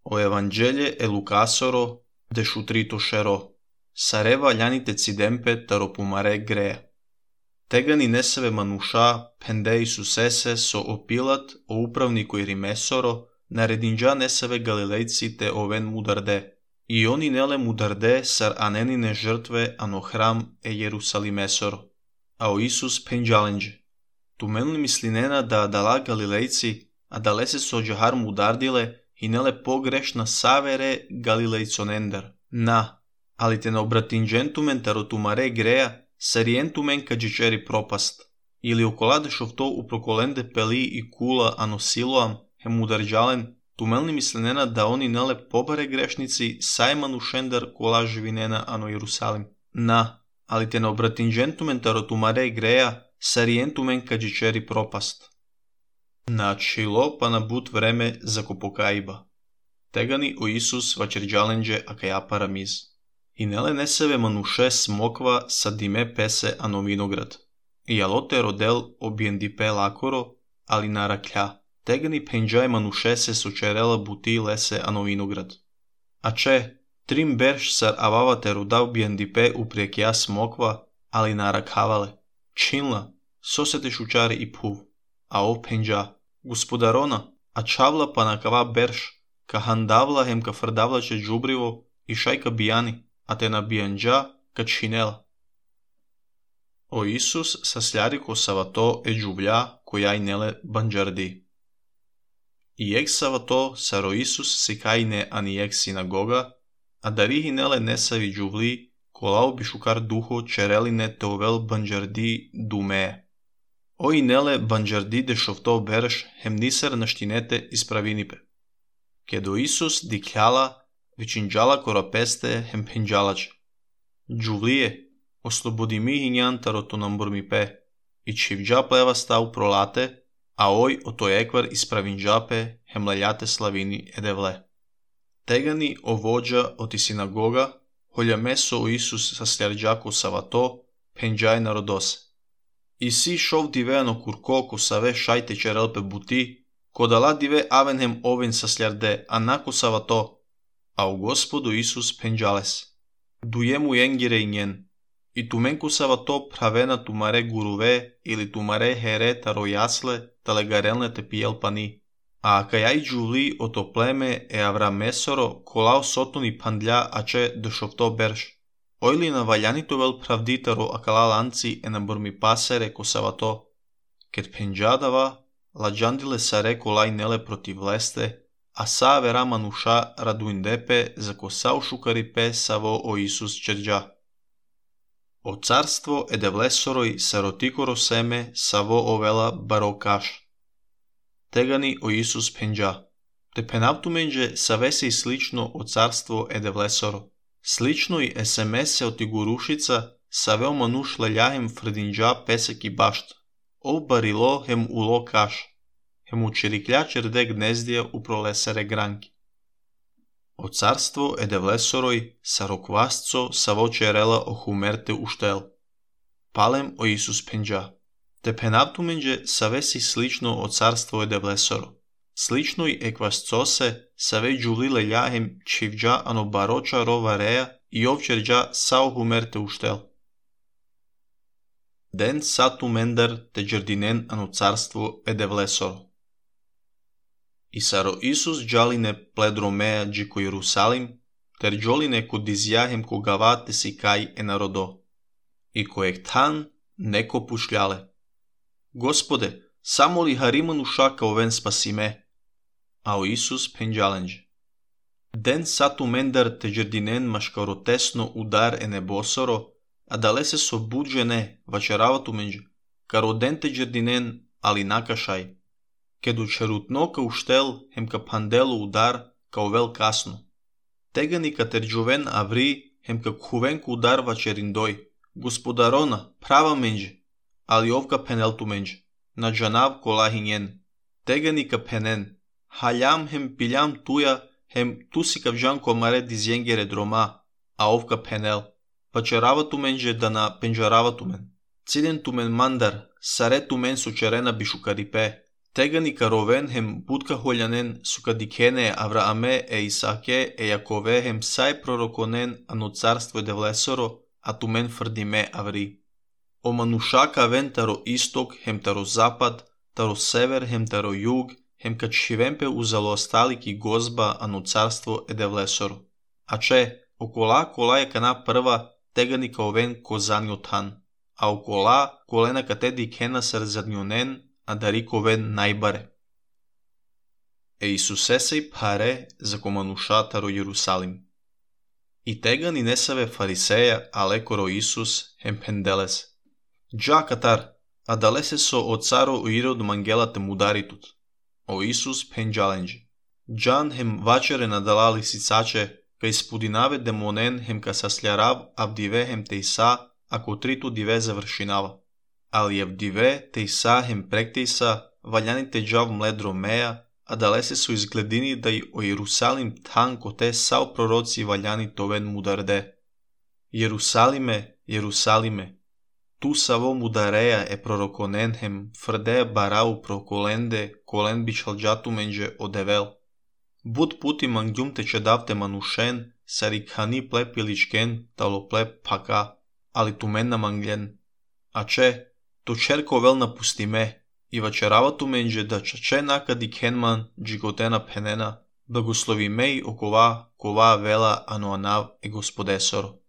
O Evanghelie e Lucasoro de șutrito šero, sareva ljanite cidempe taro pumare grea. Tegani neseve manusha pende Isusese so opilat o upravniku Irimesoro, naredinđa neseve Galilejci te oven mudarde. I oni nele mudarde sar anenine žrtve ano hram e Jerusalimesoro. A o Isus penđalenđe. Tumenli mislinena da dala Galilejci, a dalese so džahar mudardile, i nele pogrešna savere Galilejconender. Na, ali te na obratinđentumen tarotumare greja, sarientumen kađičeri propast. Ili okoladešov to uprokolende peli i kula ano siloam, hem udarđalen, tumelni mislenena da oni nele pobare grešnici sajmanu šender kola živinena ano Jerusalim. Na, ali te na obratinđentumen tarotumare greja, sarientumen kađičeri propast. Načilo pa na but vreme za kopokaiba. Tegani o Isus vačerđalenđe akaja paramiz. I nele neseve manuše smokva sa dime pese ano vinograd. I alote rodel objendipe lakoro, ali naraklja. Tegani penđaj manuše se sočerela buti lese ano vinograd. A če, trim berš sar avavate roda objendipe uprijekja smokva, ali narakhavale. Činla, sosete šučari i puv. A o penđa, gospodarona, a čavla pa nakava berš, ka handavla hem ka frdavlače džubrivo i šajka bijani, a te na bijanđa ka činela. O Isus sasljari ko savato e džuvlja koja i nele banđardi. I ek savato saro Isus sikajne ani ek sinagoga, a darihi nele nesavi džuvli, kolao bi šukar duho čereline te ovel banđardi dume. Oi nele banđardi de šovto berš hem nisar naštinete ispravinipe. Kedo Isus dikljala, vičinđala korapeste hem penđalače. Džuvlije, oslobodi mi hinjan taroto namburmipe, i čivđa pleva stav prolate, a oj o to ekvar ispravinđape hem laljate slavini edevle. Tegani o vođa oti sinagoga, holja meso o Isus sa sljarđako savato, penđaj narodose. I si šov diveano kurko ko save šajte čerelpe buti, ko dala dive avenhem oven sa sljarde, a nako savato, a u Gospodu Isus penđales. Dujemu jengire i njen, i tumenku savato pravena tumare guruve ili tumare here taro jasle, tale garelne te pijel pani. A kajaj džuli o to pleme e avra mesoro kolao sotuni pandlja ače dešovto berš. Ojli na valjanito vel pravditaro akala lanci e na burmi pasere ko savato. Ket penđadava, lađandile sare kolaj nele protiv leste, a sa vera manuša raduindepe za ko sao šukaripe savo o Isus čerđa. O carstvo edevlesoroj sarotikoro seme savo ovela barokaš. Tegani o Isus penđa. Te penavtumenđe savese i slično o carstvo edevlesoro. Slično i SMS-e oti gurušica saveo manuš leljahem frdinđa pesek i bašt. O barilo hem ulo kaš. Hem učiriklja čerde gnezdija u prolesere granki. O carstvo edevlesoroj sarokvasco savo čerela o humerte uštel. Palem o Isus penđa. Te penavtumenđe savesi slično o carstvo edevlesoro. Slično i ekvascose save džuli leljahem čivđa ano baroča rova reja i ovčerđa sao humerte uštel. Den satu mendar te džardinen ano carstvo edevlesoro. I saro Isus džaline pledromeja džiko Jerusalim, ter džoline ko dizjahem ko gavate si kaj e narodo. I kojeg tan neko pušljale. Gospode, samo li hariman ušaka oven spasime? A o Isus penđalenđe. Den satu mendar te džardinen maškarotesno udar e nebosoro, a dalese so budžene vačeravatu menđe, karo den te džardinen ali nakašaj. Kedu čerutnoka uštel hem ka pandelu udar kao vel kasno. Tegani ka terđoven avri hem ka kuvenku udar vačerindoj. Gospodarona, prava menđe, ali ovka peneltu menđe. Na džanav kolahinjen. Tegani ka penen. Haljam hem piljam tuja, hem tusi kavđan komare dizjengere droma, a ovka penel. Vačerava tu menđe da na penđarava tu men. Ciljen tu men mandar, sare tu men sočerena bišukaripe. Tegani caroven hem budca holjanen sukadikene Avraame e Isake e Jakove hem sai prorokonen ano carstvo devlesoro, a tumen frdime avri. O manusha kaven taro istok hem taro zapad, taro sever hem taro jug, hem kad šivempe uzalo ostaliki gozba ano carstvo devlesoro. A če, okola je kana prva, tegani kaoven kozanjotan, a okola kolena katedi kena srzadnjonen, a darikoven najbare. E Isusesej pare za komanusha taro Jerusalim. I tegani nesave fariseja alekoro Isus hem pendeles. Dža katar, a dalese so o caro Irod mangela te mudaritut. O Isus penđalenđi. Džan hem vačere nadalali sicače, ka ispudinave demonen hem ka sasljarav avdive hem te isa, ako tritu dive završinava. Ali avdive te isa hem prektejsa, valjanite džav mledro meja, a dalese su izgledini da i o Jerusalim tanko te sao proroci valjani toven mudarde. Jerusalime, Jerusalime, tu savo mudareja e prorokonen hem frde barau prokolende kolen bičalđatumenđe odevel. Bud puti mangjum te čedavte manušen, sarikhani plepiličken talo plep paka, ali tu men namangljen. A če, to čerko vel napustime, i vačerava tu menđe da čače nakadi kenman džigotena penena, blagoslovi mej okova kova vela ano anav e gospodesoro.